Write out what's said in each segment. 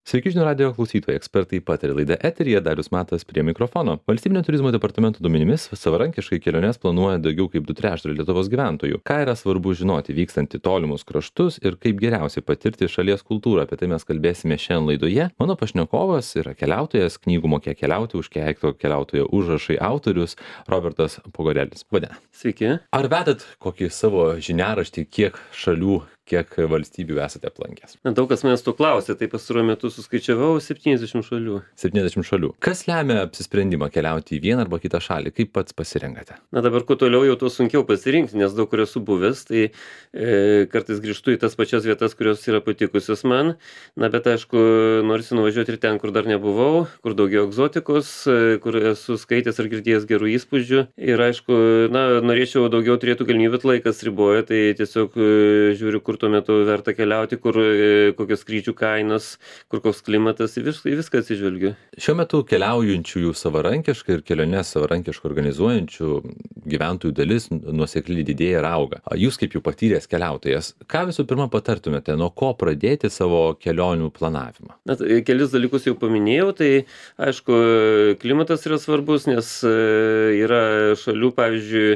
Sveiki žinių radijo klausytojai, ekspertai pataria laida eteryje, Darius Matas prie mikrofono. Valstybinio turizmo departamento duomenimis savarankiškai keliones planuoja daugiau kaip 2/3 Lietuvos gyventojų. Ką yra svarbu žinoti vykstant į tolimus kraštus ir kaip geriausiai patirti šalies kultūrą, apie tai mes kalbėsime šiandien laidoje. Mano pašnekovas yra keliautojas, knygų Mokėk keliauti, užkeikto keliautojo užrašai autorius Robertas Pogorelis. Vadina. Sveiki. Ar vedat kokį savo žiniaraštį, kiek šalių, kiek valstybių esate aplankęs? Daug kas manęs to klausė, tai pastaruoju metu suskaičiavau 70 šalių. 70 šalių. Kas lemia apsisprendimą keliauti į vieną arba kitą šalį? Kaip pats pasirenkate? Dabar kuo toliau jau tuo sunkiau pasirinkti, nes daug kur esu buvęs, tai kartais grįžtu į tas pačias vietas, kurios yra patikusios man. Bet aišku, norisi nuvažiuoti ir ten, kur dar nebuvau, kur daugiau egzotikos, kur esu skaitęs ar girdėjęs gerų įspūdžių. Ir aišku, norėčiau daugiau turėtų galimybę, bet laikas riboja, tai tiesiog žiūriu, kur tuo metu verta keliauti, kur kokios skrydžių kainos, kur koks klimatas, į viską atsižvelgiu. Šiuo metu keliaujančiųjų savarankiškai ir keliones savarankiškai organizuojančių gyventojų dalis nuosekliai didėja ir auga. Jūs kaip jau patyręs keliautojas, ką visų pirma patartumėte, nuo ko pradėti savo kelionių planavimą? Kelis dalykus jau paminėjau, tai aišku, klimatas yra svarbus, nes yra šalių, pavyzdžiui,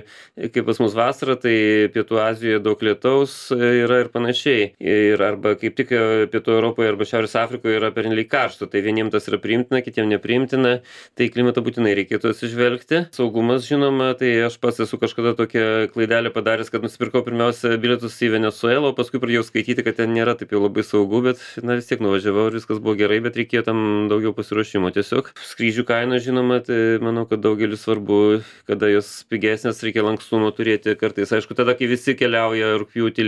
kaip pas mus vasara, tai Pietų Azijoje daug lietaus yra ir panašiai. Ir arba kaip tik Pietų Europoje arba Šiaurės Afrikoje yra pernelyg karšta, tai vieniems tas yra priimtina, kitiems nepriimtina, tai klimatą būtinai reikėtų atsižvelgti. Saugumas, žinoma, tai aš pats esu kažkada tokią klaidelę padaręs, kad nusipirkau pirmiausia bilietus į Venesuelą, o paskui pradėjau skaityti, kad ten nėra taip jau labai saugu, bet vis tiek nuvažiavau ir viskas buvo gerai, bet reikėjo tam daugiau pasiruošimo. Tiesiog skrydžių kaina, žinoma, tai manau, kad daugelis svarbu, kada jos pigesnės, reikia lankstumo turėti kartais. Aišku, tada, kai visi keliauja rugpjūtį,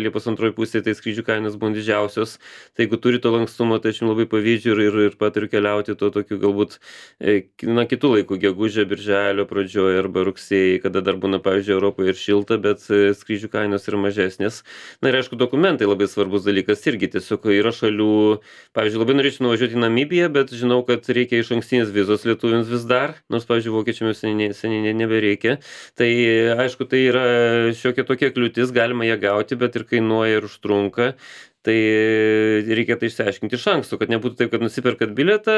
Liepos antroji pusė, tai skrydžių kainos buvo didžiausios. Tai jeigu turi to lankstumo, tai aš jums labai pavydžiu ir patariu keliauti to tokiu galbūt kitų laikų, gegužę, birželio pradžioje arba rugsėjį, kada dar būna, pavyzdžiui, Europoje ir šilta, bet skrydžių kainos yra mažesnės. Ir aišku, dokumentai labai svarbus dalykas irgi. Tiesiog yra šalių, pavyzdžiui, labai norėčiau nuvažiuoti į Namibiją, bet žinau, kad reikia išankstinės vizos lietuviams vis dar, nors, pavyzdžiui, vokiečiams seniai nebereikia. Tai aišku, tai yra šiokia tokia kliūtis, galima ją gauti, bet ir kainuoja ir užtrunka. Tai reikia tai išsiaiškinti iš anksto, kad nebūtų taip, kad nusiperkat bilietą,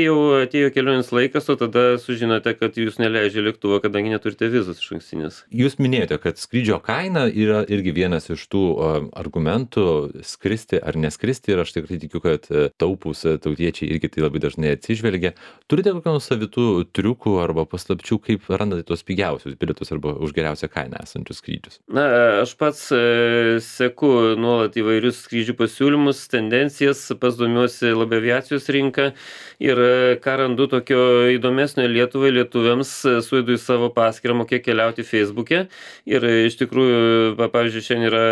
jau atėjo kelionės laikas, o tada sužinote, kad jūs neleidžia lėktuvo, kadangi neturite vizos išankstinės. Jūs minėjote, kad skrydžio kaina yra irgi vienas iš tų argumentų skristi ar neskristi ir aš tikrai tikiu, kad taupūs tautiečiai irgi tai labai dažnai atsižvelgia. Turite kokių nors savitų triukų arba paslapčių, kaip randate tos pigiausius bilietus arba už geriausią kainą esančius skrydžius? Aš pats seku nuolat įvairius skrydžių pasiūlymus, tendencijas, pats domiuosi labai aviacijos rinką ir ką randu tokio įdomesnio Lietuvai, lietuviams, suėdu į savo paskyrą Mokėk keliauti Facebook'e ir iš tikrųjų, pavyzdžiui, šiandien yra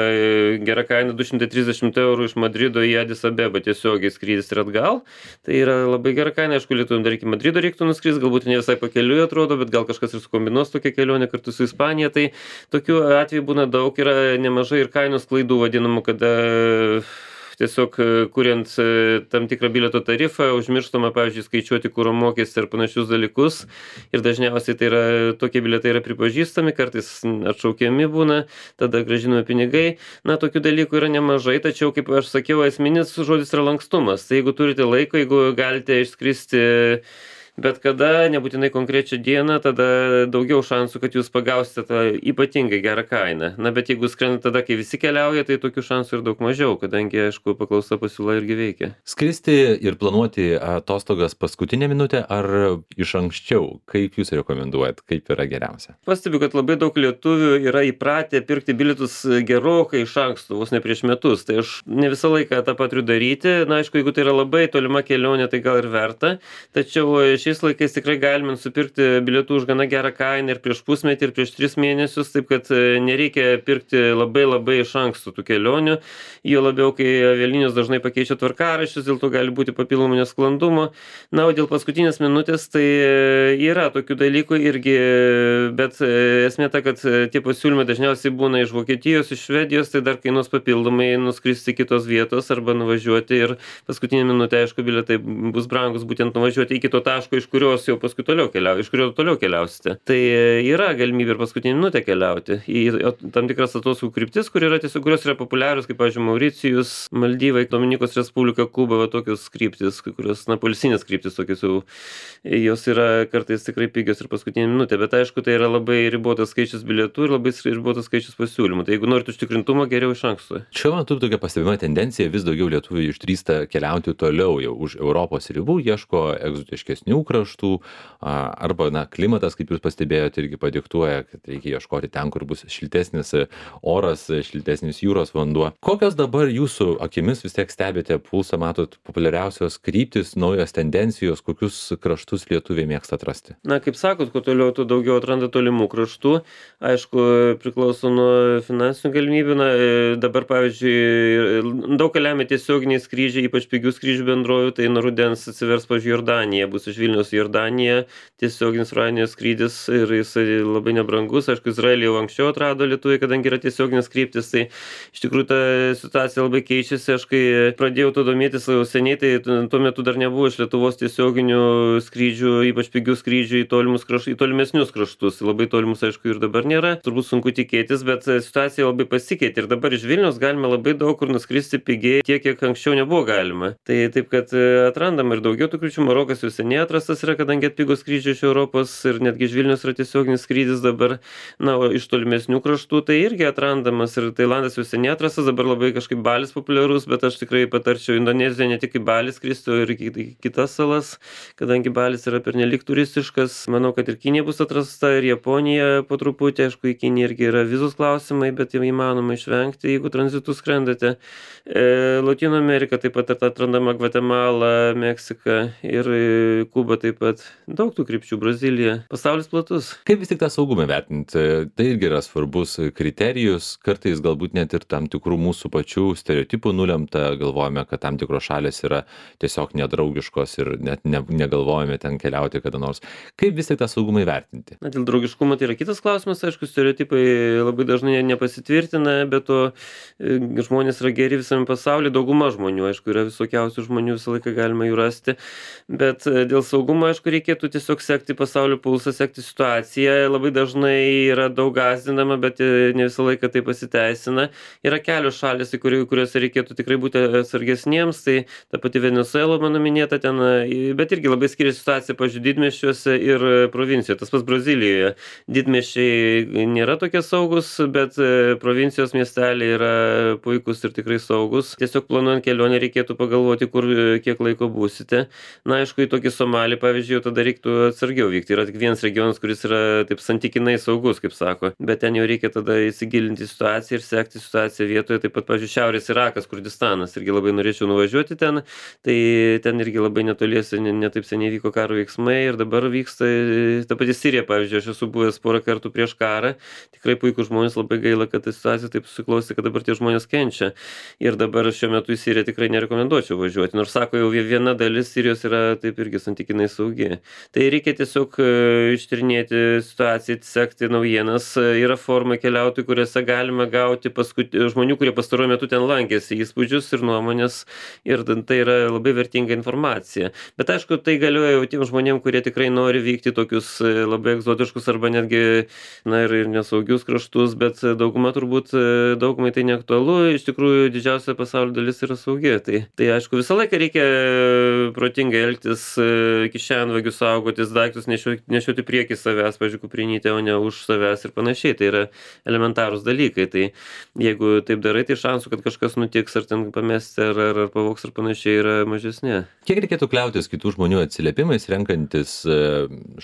gera kaina 230 eurų iš Madrido į Adis Abebą tiesiogiai skrydis ir atgal. Tai yra labai gera kaina, aišku, lietuviam dar iki Madrido reiktų nuskristi, galbūt ne visai pakeliui atrodo, bet gal kažkas ir sukombinuos tokią kelionę kartu su Ispanija. Tai tokių atvejų būna daug, yra nemažai ir kainos klaidų vadinamų, kada tiesiog kuriant tam tikrą bilieto tarifą, užmirštama, pavyzdžiui, skaičiuoti kuro mokestį ir panašius dalykus. Ir dažniausiai tai yra, tokie bilietai yra pripažįstami, kartais atšaukiami būna, tada grąžinami pinigai. Tokių dalykų yra nemažai, tačiau, kaip aš sakiau, esminis žodis yra lankstumas. Tai jeigu turite laiko, jeigu galite išskristi bet kada, nebūtinai konkrečią dieną, tada daugiau šansų, kad jūs pagausite tą ypatingai gerą kainą. Bet jeigu skrendate tada, kai visi keliauja, tai tokių šansų ir daug mažiau, kadangi, aišku, paklausa pasiūla irgi veikia. Skristi ir planuoti atostogas paskutinę minutę ar iš anksčiau? Kaip jūs rekomenduojat, kaip yra geriausia? Pastebiu, kad labai daug lietuvių yra įpratę pirkti bilietus gerokai iš anksto, vos ne prieš metus. Tai aš ne visą laiką tą paturiu daryti. Aišku, jeigu tai yra labai tolima kelionė, tai gal ir verta. Tačiau šiais laikais tikrai galime nusipirkti bilietų už gana gerą kainą ir prieš pusmetį, ir prieš 3 mėnesius, taip kad nereikia pirkti labai iš anksto tų kelionių. Jo labiau, kai avialinijos dažnai pakeičia tvarkaraščius, dėl to gali būti papildomų nesklandumų. O dėl paskutinės minutės, tai yra tokių dalykų irgi, bet esmė ta, kad tie pasiūlymai dažniausiai būna iš Vokietijos, iš Švedijos, tai dar kainuos papildomai nuskristi kitos vietos arba nuvažiuoti ir paskutinė minutė, aišku, bilietai bus brangus būtent nuvažiuoti iki to taško, iš kurios jau paskui iš kurio toliau keliausite. Tai yra galimybė ir paskutinę minutę keliauti į tam tikras atostogų kryptis, kurios yra populiarios, kaip, pavyzdžiui, Mauricijus, Maldyvai, Dominikos Respublika, Kuba, va, tokios kryptis, kurios, poilsinės kryptis, tokios jau, jos yra kartais tikrai pigios ir paskutinė minutė, bet aišku, tai yra labai ribotas skaičius bilietų ir labai ribotas skaičius pasiūlymų. Tai jeigu norite užtikrintumo, geriau iš anksto. Šiuo metu tokia pastebima tendencija, vis daugiau lietuvių išdrįsta keliauti toliau jau už Europos ribų, ieško egzotiškesnių kraštų, arba, klimatas, kaip jūs pastebėjote, irgi padiktuoja, kad reikia ieškoti ten, kur bus šiltesnis oras, šiltesnis jūros vanduo. Kokios dabar jūsų akimis vis tiek stebite pulsą, matot populiariausios kryptis, naujos tendencijos, kokius kraštus lietuviai mėgsta atrasti? Kaip sakot, kuo toliau, tuo daugiau atranda tolimų kraštų. Aišku, priklauso nuo finansinių galimybių. Dabar, pavyzdžiui, daug lemia tiesioginiai skrydžiai, ypač pigių skrydžių bendrovių, tai nuo rudens atsivers, pavyzdžiui, Jordanija, bus iš Vilniaus į Jordaniją, tiesioginis Ryanair skrydis ir jisai labai nebrangus. Aišku, Izraelį jau anksčiau atrado lietuviai, kadangi yra tiesioginis kryptis, tai iš tikrųjų ta situacija labai keičiasi. Aš kai pradėjau to domėtis jau seniai, tai tuo metu dar nebuvo iš Lietuvos tiesioginių skrydžių, ypač pigių skrydžių į tolimesnius kraštus. Labai tolimus, aišku, ir dabar nėra. Turbūt sunku tikėtis, bet situacija labai pasikeitė ir dabar iš Vilniaus galime labai daug kur nuskristi pigiai, tiek, kiek anksčiau nebuvo galima. Tai taip, kad atrandam ir daugiau tų krypčių. Marokas jau seniai atrastas yra, kadangi atpigo skrydžiai iš Europos ir netgi iš Vilniaus yra tiesioginis skrydis dabar. O iš tolimesnių kraštų tai irgi atrandamas ir Tailandas jau seniai atrastas, dabar labai kažkaip Balis populiarus, bet aš tikrai patarčiau Indoneziją ne tik į Balį skristi, o ir į kitas salas, kadangi Balis yra pernelyg turistiškas. Manau, kad ir Kinija bus atrasta, ir Japonija po truputį. Aišku, į Kiniją irgi yra vizos klausimai, bet jau įmanoma išvengti, jeigu tranzitu skrendate. Lotynų Amerika taip pat atrandama, Gvatemala, Meksika ir Kuba taip pat. Daug tų krypčių, Brazilija. Pasaulis platus. Kaip vis tik tą saugumą vertinti? Tai irgi yra svarbus kriterijus, kartais galbūt net ir tam tikrų mūsų pačių stereotipų nulemta, galvojame, kad tam tikros šalys yra tiesiog nedraugiškos ir net negalvojame ten keliauti kada nors. Kaip vis tik tą saugumą įvertinti? Dėl draugiškumo tai yra kitas klausimas, aišku, stereotipai labai dažnai nepasitvirtina, bet to žmonės yra geri visame pasaulyje, dauguma žmonių, aišku, yra visokiausių žmonių, visą laiką galima jų rasti, bet dėl saugumo, aišku, reikėtų tiesiog sekti pasaulio pulsą, sekti situaciją. Labai dažnai yra daug gąsdinama, bet ne visą laiką tai pasiteisina. Yra kelios šalys, kuriuose reikėtų tikrai būti atsargesniems, tai ta pati Venesuela, mano minėta ten, bet irgi labai skiriasi situacija, pavyzdžiui, didmiesčiuose ir provincijoje. Tas pats Brazilijoje. Didmiesčiai nėra tokie saugus, bet provincijos miesteliai yra puikus ir tikrai saugus. Tiesiog planuojant kelionę reikėtų pagalvoti, kiek laiko būsite. Aišku, į tokį Somalį, pavyzdžiui, tada reiktų atsargiau vykti. Yra tik vienas regionas, kuris yra taip santykinai saugus, kaip sako. Bet ten jau reikia tada įsigilinti situaciją ir sekti situaciją vietoje. Taip pat, pavyzdžiui, Šiaurės Irakas, Kurdistanas. Irgi labai norėčiau nuvažiuoti ten. Tai ten irgi labai netoliese, netaip seniai vyko karo veiksmai ir dabar vyksta ta pati Sirija, pavyzdžiui, aš esu buvęs porą kartų prieš karą. Tikrai puikūs žmonės, labai gaila, kad ta situacija taip susiklostė, kad dabar tie žmonės kenčia. Ir dabar šiuo metu į Siriją tikrai nerekomenduočiau važiuoti. Nors sako, jau viena dalis Sirijos yra taip irgi santykinai saugi. Tai reikia tiesiog ištyrinėti situaciją, sekti naujienas. Yra formai keliautojų, kuriuose galima gauti žmonių, kurie pastaruoju metu ten lankėsi, įspūdžius ir nuomonės. Ir tai yra labai vertinga informacija. Bet aišku, tai galioja jau tiem žmonėm, kurie tikrai nori vykti tokius labai egzotiškus arba netgi ir nesaugius kraštus, bet daugumai tai neaktualu. Iš tikrųjų, didžiausia pasaulio dalis yra saugi. Tai aišku, visą laiką reikia protingai elgtis, kišenvagių saugotis, daiktus nešioti priekį savęs, pavyzdžiui, kuprinytę, o ne už savęs ir panašiai. Tai yra elementarūs dalykai. Tai jeigu taip darai, tai šansų, kad kažkas nutiks, ar ten pamesti, ar pavogs, ar panašiai, yra mažesnė. Kiek reikėtų kliautis kitų žmonių atsiliepimais, renkantis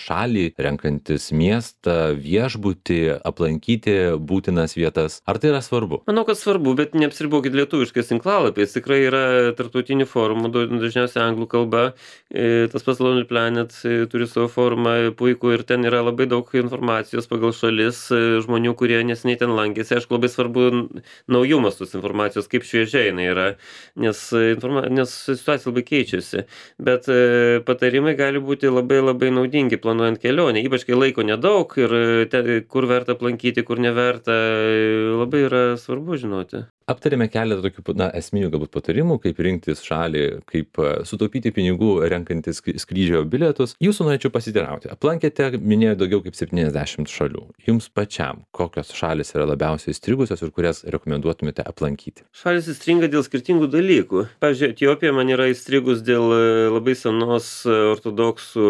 šalį, renkantis miestą, viešbutį, aplankyti būtinas vietas? Ar tai yra svarbu? Manau, kad svarbu, bet neapsiribokit lietuviškais tinklalapiais. Tikrai yra tarptautinių forumų, dažniausiai anglų kalba. Tas pats Lonely Planet turi savo forumą puikų ir ten yra labai daug informacijos pagal šalis, žmonių, kurie neseniai ten lankėsi. Aišku, labai svarbu naujumas tos informacijos, kaip šviežiai jinai yra, nes situacija labai keičiasi. Bet patarimai gali būti labai labai naudingi planuojant kelionę, ypač kai laiko nedaug ir kur verta aplankyti, kur neverta, labai yra svarbu žinoti. Aptarėme keletą tokių esminių galbūt patarimų, kaip rinktis šalį, kaip sutaupyti pinigų renkantis skrydžio bilietus. Jūsų norėčiau pasiteirauti. Aplankėte, minėjo daugiau kaip 70 šalių. Jums pačiam, kokios šalis yra labiausiai įstrigusios ir kurias rekomenduotumėte aplankyti? Šalis įstringa dėl skirtingų dalykų. Pavyzdžiui, Etiopija man yra įstrigus dėl labai senos ortodoksų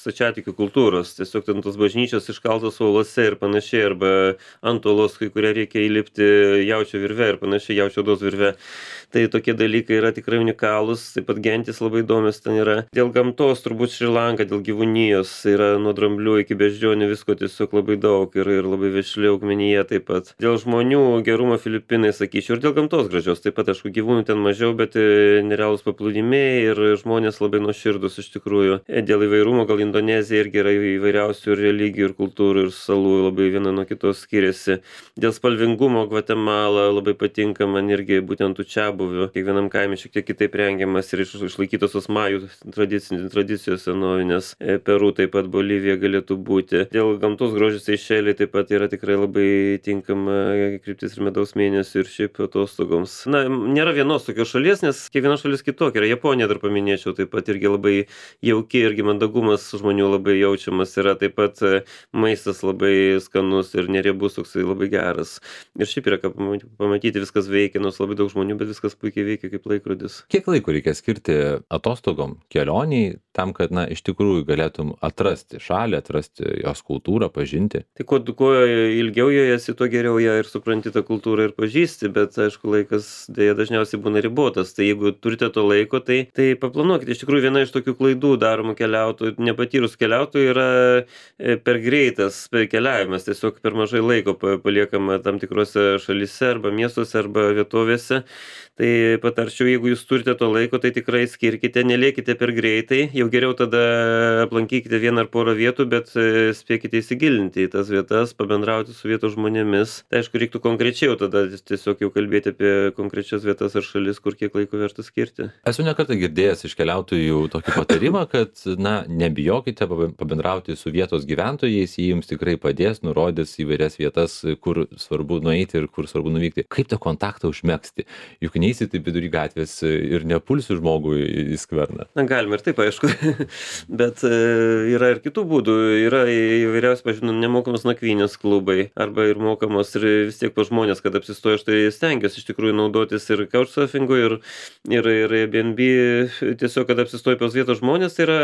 stačiatikių kultūros. Tiesiog ten tos bažnyčios iškaltos uolose ir panašiai, arba ant uolos, kai kurie reikia įlipti jaučio virve ir panašiai, jaučio odos virve. Tai tokie dalykai yra tikrai unikalūs, taip pat gentis labai įdomios ten yra. Dėl gamtos turbūt Šri Lanka, dėl gyvūnijos yra nuo dramblių iki beždžionių visko tiesiog labai daug ir labai vešli augmenija taip pat. Dėl žmonių gerumo Filipinai, sakyčiau, ir dėl gamtos gražios. Taip pat, aišku, gyvūnų ten mažiau, bet nerealūs paplūdimiai ir žmonės labai nuoširdus iš tikrųjų. Dėl įvairumo gal Indonezija irgi yra įvairiausių religijų ir kultūrų ir salų labai viena nuo kitos skiriasi. Dėl spalvingumo Gvatemala labai patinka man irgi būtent tų čiabuvių. Kiekvienam kaime šiek tiek kitaip rengiamas ir išlaikytos tos majų tradicijos senovinės. Peru taip pat Bolivija galėtų būti. Dėl gamtos grožio Seišeliai taip pat yra tikrai labai tinkama kryptis ir medaus mėnesių ir šiaip atostogoms. Na, nėra vienos tokios šalies, nes kiekviena šalis kitokia. Yra Japonija, dar paminėčiau, taip pat irgi labai jauki, irgi mandagumas žmonių labai jaučiamas. Yra taip pat maistas labai skanus ir neriebus, toksai labai geras. Ir šiaip yra ką pamatyti, viskas veikia, nors labai daug žmonių, bet viskas puikiai veikia kaip laikrodis. Kiek laiko reikia skirti atostogom, kelioniai, tam, kad, iš tikrųjų galėtum atrasti šalį, atrasti jos kultūrą, pažinti? Tai kuo ilgiau joje esi, tuo geriau ją ir supranti tą kultūrą ir pažįsti, bet, aišku, laikas dėja dažniausiai būna ribotas. Tai jeigu turite to laiko, tai paplanuokite. Iš tikrųjų, viena iš tokių klaidų daromų keliautojų, nepatyrus keliautojų, yra per greitas keliavimas. Tiesiog per mažai laiko paliekama tam tikrose šalyse arba miestuose arba vietovėse. Tai patarčiau, jeigu jūs turite to laiko, tai tikrai skirkite, nelėkite per greitai, jau geriau tada aplankykite vieną ar porą vietų, bet spėkite įsigilinti į tas vietas, pabendrauti su vietos žmonėmis. Tai aišku, reiktų konkrečiau tada tiesiog jau kalbėti apie konkrečias vietas ar šalis, kur kiek laiko verta skirti. Esu ne kartą girdėjęs iš keliautojų tokį patarimą, kad, nebijokite pabendrauti su vietos gyventojais, jie jums tikrai padės, nurodys įvairias vietas, kur svarbu nueiti ir kur svarbu nuvykti. Kaip tą kontaktą užmegzti? Juk neisi taip vidury gatvės ir nepulsi žmogui į skverną. Na, galima ir taip, aišku, bet yra ir kitų būdų. Yra įvairiausi, pažinau, nemokamos nakvynės klubai, arba ir mokamos ir vis tiek po žmonės, kad apsistoja, aš tai stengiuosi iš tikrųjų naudotis ir couchsurfingu, ir Airbnb, tiesiog, kad apsistoja pas vietos žmonės, tai yra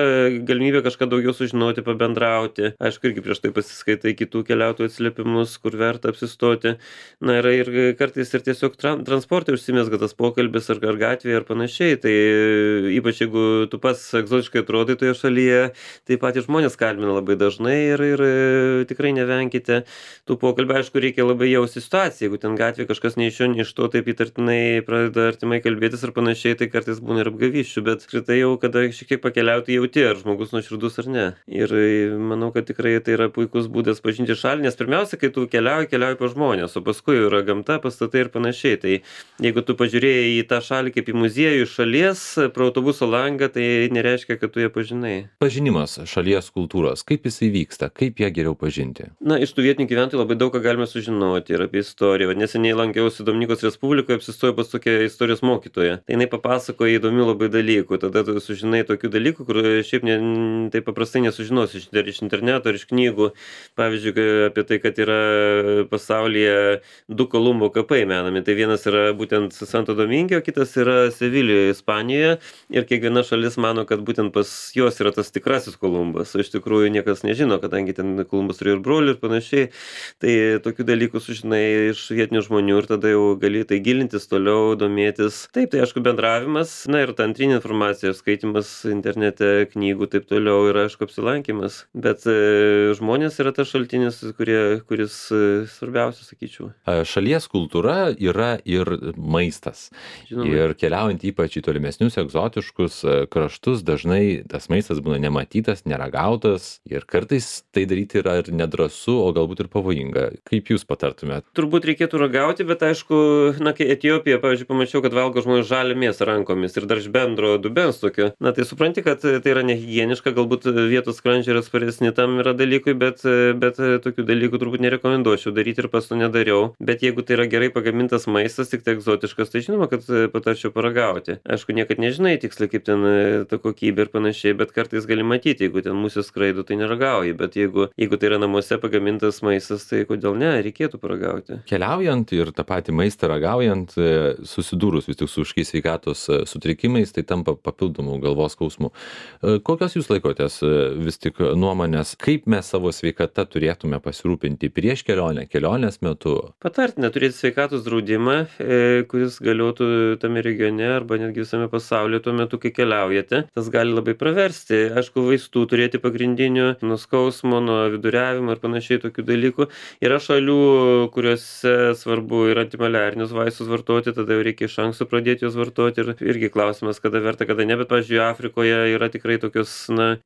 galimybė kažką daugiau sužinoti, pabendrauti. Aišku, irgi prieš tai pasiskaitai kitų keliautojų atsiliepimus, kur verta apsistoti. Na, yra ir kartais ir tiesiog transporte užsimezga tas pokalbis ar gatvėje ar panašiai. Tai ypač jeigu tu pats egzotiškai atrodai toje šalyje, tai patys žmonės kalbina labai dažnai ir tikrai nevenkite tų pokalbių. Aišku, reikia labai jausti situaciją. Jeigu ten gatvėje kažkas nei iš šio, nei iš to taip įtartinai pradeda artimai kalbėtis ar panašiai, tai kartais būna ir apgavysčių, bet apskritai jau, kada šiek tiek pakeliauti, jauti, ar žmogus nuoširdus ar ne. Ir manau, kad tikrai tai yra puikus būdas pažinti šalį, nes pirmiausia, kai tu keliauji pas žmonės, o paskui yra gamta, pastatai ir panašiai. Tai jeigu tu pažiūrėjai į tą šalį kaip į muziejų šalies pro autobuso langą, tai nereiškia, kad tu ją pažinai. Pažinimas šalies kultūros, kaip jisai vyksta, kaip ją geriau pažinti? Na, iš tų vietinių gyventojų labai daug ką galime sužinoti ir apie istoriją. Neseniai lankiausi Dominikos Respublikoje, apsistojau pas tokią istorijos mokytoją. Tai jinai papasakoja įdomių labai dalykų. Tada tu sužinai tokių dalykų, kur šiaip taip paprastai nesužinosi iš interneto ar iš knygų. Pavyzdžiui, apie tai, kad yra pasaulyje 2 Kolumbo kapai menami. Tai vienas yra būtent Santo Dominge, o kitas yra Sevilijoje, Ispanijoje. Ir kiekviena šalis mano, kad būtent pas juos yra tas tikrasis Kolumbas. O iš tikrųjų niekas nežino, kadangi ten Kolumbas turėjo ir brolių ir panašiai. Tai tokių dalykų sužinai iš vietinių žmonių ir tada jau gali tai gilintis toliau, domėtis. Taip, tai aišku bendravimas, na ir ta antrinė informacija, skaitimas internete, knygų, taip toliau ir aišku apsilankimas. Bet žmonės yra tas šaltinis, kuris svarbiausia, sakyčiau. Šalies kultūra yra ir maistas. Žinoma. Ir keliaujant ypač į tolimesnius egzotiškus kraštus, dažnai dažnai tas maistas būna nematytas, neragautas ir kartais tai daryti yra ir nedrąsu, o galbūt ir pavojinga. Kaip jūs patartumėt? Turbūt reikėtų ragauti, bet aišku, kai Etiopijoje, pavyzdžiui, pamačiau, kad valgo žmonės žalią mėsą rankomis ir dar iš bendro dubens tokio. Tai supranti, kad tai yra nehigieniška, galbūt vietos skrandžiai yra atsparesni tam yra dalykui, bet tokių dalykų turbūt nerekomenduočiau daryti ir pats to nedariau. Bet jeigu tai yra gerai pagamintas maistas, tik tai egzotiškas, tai žinoma, kad patarčiau paragauti. Aišku, niekad nežinai tiksliai, kaip ten ta kokybė ir panašiai, bet kartais gali matyti, jeigu ten musės skraido, tai neragauji, bet jeigu tai yra namuose pagamintas maistas, tai kodėl ne, reikėtų paragauti. Keliaujant ir tą patį maistą ragaujant, susidūrus vis tik su kažkokiais sveikatos sutrikimais, tai tampa papildomų galvos skausmų. Kokios jūs laikotės vis tik nuomonės, kaip mes savo sveikatą turėtume pasirūpinti prieš kelionę, kelionės metu? Patartina turėti sveikatos draudimą, kuris galiotų tame regione arba netgi visame pasaulyje tuo metu, kai keliaujate. Tas gali labai praversti. Aišku, vaistų turėti pagrindinių, nuo skausmo, nuo viduriavimo ir panašiai tokių dalykų. Yra šalių, kuriuose svarbu ir antimaliarinius vaistus vartoti, tada jau reikia iš anksto pradėti juos vartoti ir irgi klausimas, kada verta, kada ne, bet, pavyzdžiui, Afrikoje yra tikrai tokios,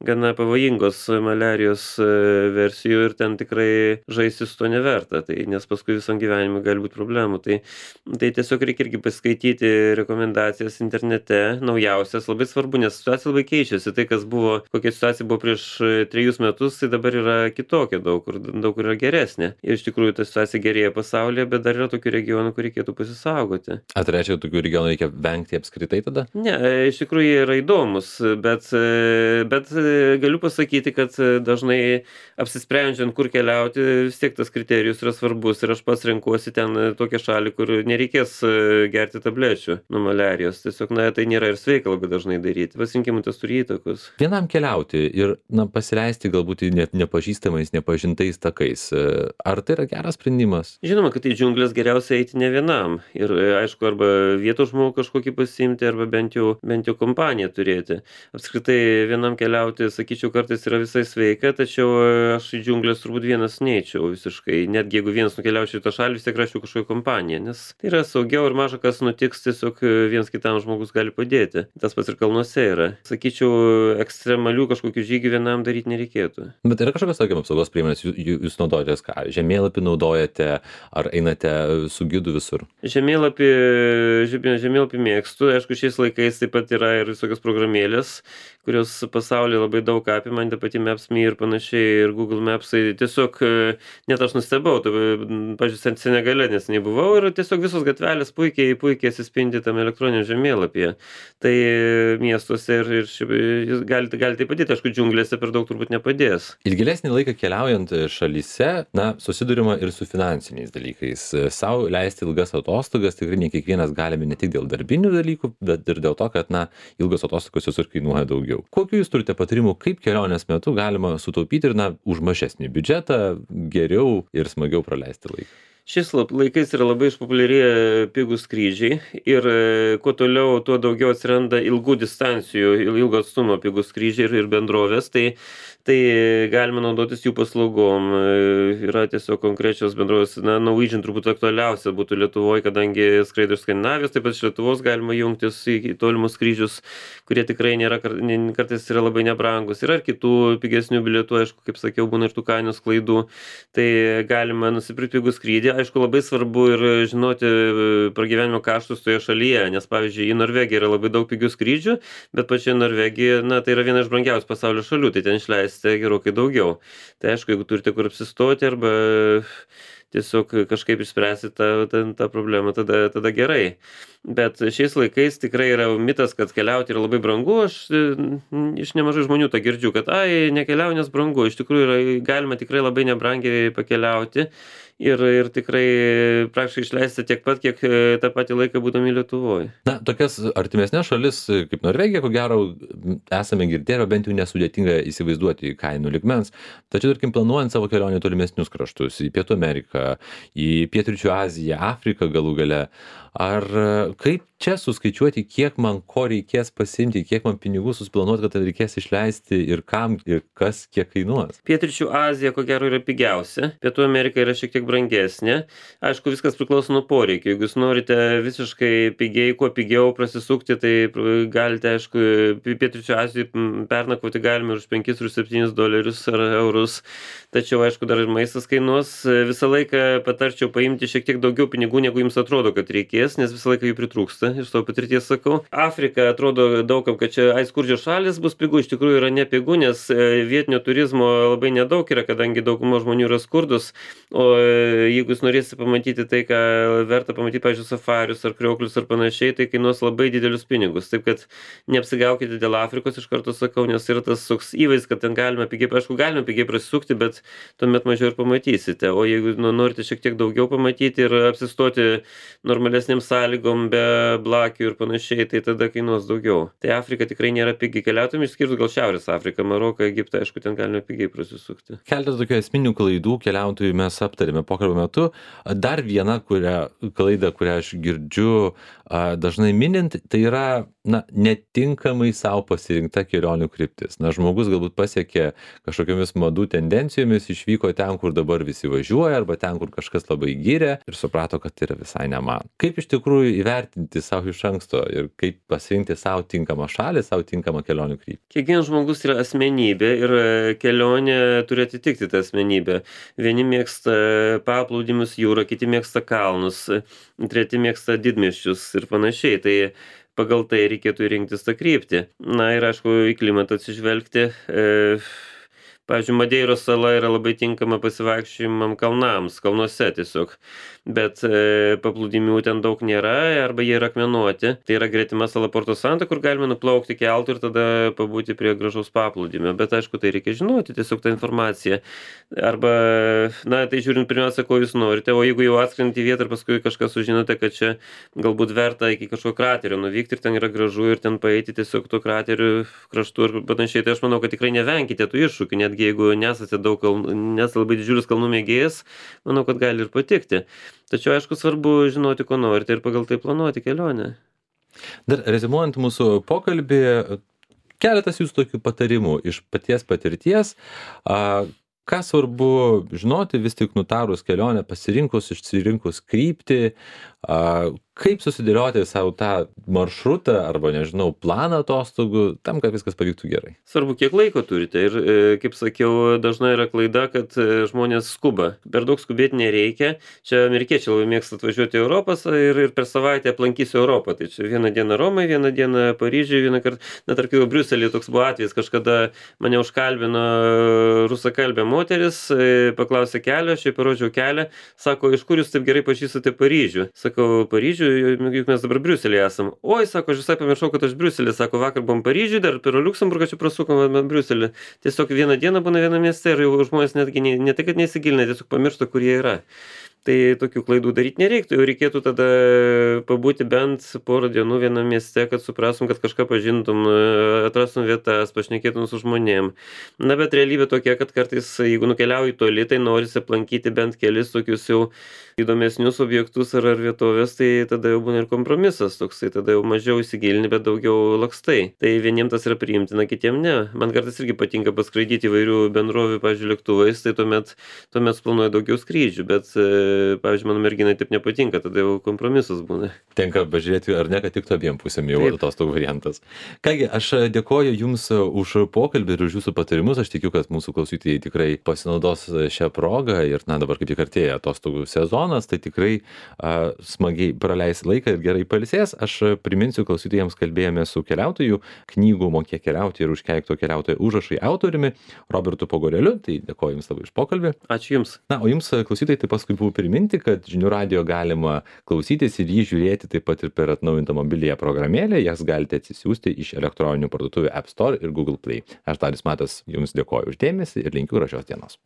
gana pavojingos maliarijos versijų ir ten tikrai žaisti su to neverta, nes paskui visam gyvenimui gali būti problemų. Tai tiesiog reikia irgi paskaityti rekomendacijas internete, naujausias, labai svarbu, nes situacija labai keičiasi. Tai, kas buvo, kokia situacija buvo prieš 3 metus, tai dabar yra kitokia, daug kur yra geresnė. Ir iš tikrųjų ta situacija gerėja pasaulyje, bet dar yra tokių regionų, kur reikėtų pasisaugoti. Ar tai reiškia, tokių regionų reikia vengti apskritai tada? Ne, iš tikrųjų jie yra įdomus, bet galiu pasakyti, kad dažnai apsisprendžiant, kur keliauti, vis tiek tas kriterijus yra svarbus ir aš pats renkuosi ten tokią šalį, kur nereikės gerti tablečių nuo maliarijos. Tiesiog, tai nėra ir sveika labai dažnai daryti. Pasirinkimui tas turi įtakos. Vienam keliauti ir pasileisti galbūt nepažįstamais, nepažintais takais. Ar tai yra geras sprendimas? Žinoma, kad į džiunglės geriausia eiti ne vienam. Ir aišku, arba vietos žmogų kažkokį pasiimti, arba bent jau kompaniją turėti. Apskritai vienam keliauti, sakyčiau, kartais yra visai sveika, tačiau aš į džiunglės turbūt vienas neįčiau visiškai. Netgi jeigu vienas nukeliaučiau į tą šalį, vis tiek rašiau kažkokią kompaniją, nes tai yra saugiau ir maža kas nutiks, tiesiog vienas kitam žmogus gali padėti. Tas pats ir kalnuose yra. Sakyčiau, ekstremalių kažkokių žygių vienam daryti nereikėtų. Bet yra kažkokios tokios apsaugos priemonės, jūs naudojatės ką? Žemėlapį naudojate, ar einate su gidu visur? Žemėlapį mėgstu. Aišku, šiais laikais taip pat yra ir visokios programėlės, kurios pasaulyje labai daug apima, ta pati Maps.me ir panašiai, ir Google Mapsai. Tiesiog net aš nustebau, pavyzdžiui, Senegale neseniai buvau ir tiesiog visos gatvelės puikiai atsispindi tam elektroniniam žemėlapyje. Tai miestuose ir gali tai padėti, aišku, džiunglėse per daug turbūt nepadės. Ilgesnį laiką keliaujant šalyse, susidurima ir su finansiniais dalykais. Sau leisti ilgas atostogas tikrai ne kiekvienas galime, ne tik dėl darbinių dalykų, bet ir dėl to, kad ilgos atostogos visur kainuoja daugiau. Kokių jūs turite patarimų, kaip kelionės metu galima sutaupyti ir už mažesnį biudžetą geriau ir smagiau praleisti laiką? Šiais laikais yra labai išpopuliarėję pigūs skrydžiai ir kuo toliau, tuo daugiau atsiranda ilgų distancijų, ilgo atstumo pigūs skrydžiai ir bendrovės, tai galime naudotis jų paslaugom. Yra tiesiog konkrečios bendrovės, Norwegian turbūt aktualiausia būtų Lietuvoje, kadangi skraido iš Skandinavijos, taip pat iš Lietuvos galima jungtis į tolimus skrydžius, kurie tikrai kartais yra labai nebrangus. Yra ir kitų pigesnių bilietų, aišku, kaip sakiau, būna ir tų kainos klaidų, tai galima nusipirkti pigų skrydį. Aišku, labai svarbu ir žinoti pragyvenimo kaštus toje šalyje, nes, pavyzdžiui, į Norvegiją yra labai daug pigių skrydžių, bet pačioje Norvegija, tai yra viena iš brangiausių pasaulio šalių, tai ten išleisite gerokai daugiau. Tai aišku, jeigu turite kur apsistoti arba tiesiog kažkaip išspręsti tą problemą, tada gerai. Bet šiais laikais tikrai yra mitas, kad keliauti yra labai brangu. Aš iš nemažai žmonių tą girdžiu, kad nekeliauju, nes brangu. Iš tikrųjų galima tikrai labai nebrangiai pakeliauti ir tikrai praktiškai išleisti tiek pat, kiek tą patį laiką būdami Lietuvoje. Tokias artimesnės šalis kaip Norvegija, ko gero, esame girdėję, bent jau nesudėtinga įsivaizduoti kainų lygmens. Tačiau, tarkim, planuojant savo kelionę tolimesnius kraštus, į Pietų Ameriką, Ameriką, į Pietryčių Aziją, Afriką galų gale. Ar kaip čia suskaičiuoti, kiek man ko reikės pasiimti, kiek man pinigų susiplanuoti, kad reikės išleisti ir kam ir kas kiek kainuos? Pietryčių Azija, ko gero, yra pigiausia. Pietų Amerika yra šiek tiek brangesnė. Aišku, viskas priklauso nuo poreikio. Jeigu jūs norite visiškai pigiai, kuo pigiau prasisukti, tai galite, aišku, Pietryčių Azijoje pernakvoti galime ir už 5 ir 7 dolerius ar eurus. Tačiau, aišku, dar ir maistas kainuos. Visą laiką patarčiau paimti šiek tiek daugiau pinigų, negu jums atrodo, kad reikės, nes visą laiką jų pritrūksta. Iš savo patirties sakau. Afrika atrodo daugam, kad čia skurdžios šalis bus pigu, iš tikrųjų yra nepigu, nes vietinio turizmo labai nedaug yra, kadangi dauguma žmonių yra skurdus. O jeigu jūs norėsite pamatyti tai, ką verta pamatyti, pavyzdžiui, safarius ar krioklius ar panašiai, tai kainuos labai didelius pinigus. Taip kad neapsigaukite dėl Afrikos, iš karto sakau, nes yra tas toks įvaizdis, kad ten galime pigiai, aišku, galime pigiai prasisukti, bet tuomet mažiau ir pamatysite. O jeigu norite šiek tiek daugiau pamatyti ir apsistoti normalesnėm sąlygom be blakių ir panašiai, tai tada kainuos daugiau. Tai Afrika tikrai nėra pigiai keliautojams, išskyrus gal Šiaurės Afriką, Maroką, Egiptą, aišku, ten galime pigiai prasisukti. Keletą tokių esminių klaidų keliautojų mes aptarėme pokalbio metu. Dar viena klaida, kurią aš girdžiu dažnai minint, tai yra netinkamai savo pasirinkta kelionių kryptis. Žmogus galbūt pasiekė kažkokiamis madų tendencijomis, išvyko ten, kur dabar visi važiuoja, arba ten, kur kažkas labai gyrė ir suprato, kad tai yra visai ne man. Kaip iš tikrųjų įvertinti savo iš anksto ir kaip pasirinkti savo tinkamą šalį, savo tinkamą kelionių kryptį? Kiekvienas žmogus yra asmenybė ir kelionė turi atitikti tą asmenybę. Vieni mėgsta paplūdimius, jūrą, kiti mėgsta kalnus, treti mėgsta didmiesčius ir panašiai. Tai pagal tai reikėtų rinktis tą kryptį. Ir aišku, į klimatą atsižvelgti. Pavyzdžiui, Madeiros sala yra labai tinkama pasivaikščiojimam kalnams, kalnuose tiesiog, bet paplūdimių ten daug nėra arba jie yra akmenuoti. Tai yra gretima sala Porto Santo, kur galime nuplaukti keltu ir tada pabūti prie gražaus paplūdimio. Bet aišku, tai reikia žinoti tiesiog tą informaciją. Arba, tai žiūrint pirmiausia, ko jūs norite, o jeigu jau atskrendate į vietą ir paskui kažką sužinote, kad čia galbūt verta iki kažkokio kraterio nuvykti ir ten yra gražu ir ten paeiti tiesiog tuo krateriu kraštu ir panašiai, tai aš manau, kad tikrai nevenkite tų iššūkių, netgi jeigu nesate nesate labai didžiulis kalnų mėgėjas, manau, kad gali ir patikti. Tačiau, aišku, svarbu žinoti, ko norite ir pagal tai planuoti kelionę. Dar rezimuojant mūsų pokalbį, keletas jūsų tokių patarimų iš paties patirties. Ką svarbu žinoti vis tik nutarus kelionę, išsirinkus kryptį, kaip susidėlioti savo tą maršrutą arba, nežinau, planą atostogų, tam, kad viskas pavyktų gerai. Svarbu, kiek laiko turite ir, kaip sakiau, dažnai yra klaida, kad žmonės skuba. Per daug skubėti nereikia. Čia amerikiečiai labai mėgsta atvažiuoti į Europą ir per savaitę aplankysiu Europą. Tai čia vieną dieną Romai, vieną dieną Paryžiui, vieną kartą, tarp kitko, Briuselėje toks buvo atvejis, kažkada mane užkalbino rusakalbė moteris, paklausė kelio, aš jai parodžiau kelią, sako, iš kur jūs taip gerai pažįstate Paryžių? Sakau, Paryžių, juk mes dabar Briuselėje esam. Oi, sako, aš visai pamiršau, kad aš Briuselė, sako, vakar buvom Paryžiui, dar per Liuksemburgą čia prasukom Briuselį. Tiesiog vieną dieną būna vieną mieste ir jau žmonės netgi ne tai, kad neįsigilina, tiesiog pamiršta, kur jie yra. Tai tokių klaidų daryti nereiktų, jau reikėtų tada pabūti bent porą dienų vienam mieste, kad suprastum, kad kažką pažintum, atrastum vietas, pašnekėtum su žmonėm. Bet realybė tokia, kad kartais, jeigu nukeliauji toli, tai norisi aplankyti bent kelis tokius jau įdomesnius objektus ar vietovės, tai tada jau būna ir kompromisas toksai, tada jau mažiau įsigilini, bet daugiau lakstai. Tai vieniems tas yra priimtina, kitiems ne. Man kartais irgi patinka paskraidyti įvairių bendrovių, pavyzdžiui, lėktuvais, tai tuomet planuoju daugiau skrydžių, bet pavyzdžiui, mano merginai taip nepatinka, tada jau kompromisas būna. Tenka pažiūrėti, ar ne, kad tik abiem pusėm jau atostogų variantas. Kągi, aš dėkoju Jums už pokalbį ir už Jūsų patarimus. Aš tikiu, kad mūsų klausytojai tikrai pasinaudos šią progą ir, dabar kaip tik artėja atostogų sezonas, tai tikrai smagiai praleis laiką ir gerai pailsės. Aš priminsiu klausytojams, kalbėjome su keliautoju, knygų Mokėk keliauti ir Užkeikto keliautojo užrašai autoriumi Robertu Pogoreliu. Tai dėkoju Jums labai už pokalbį. Ačiū Jums. O Jums, klausytojai, tai paskui buvo priminti, kad Žinių radijo galima klausytis ir jį žiūrėti taip pat ir per atnaujintą mobiliąją programėlę. Jas galite atsisiųsti iš elektroninių parduotuvių App Store ir Google Play. Aš Darius Matas Jums dėkoju už dėmesį ir linkiu gražios dienos.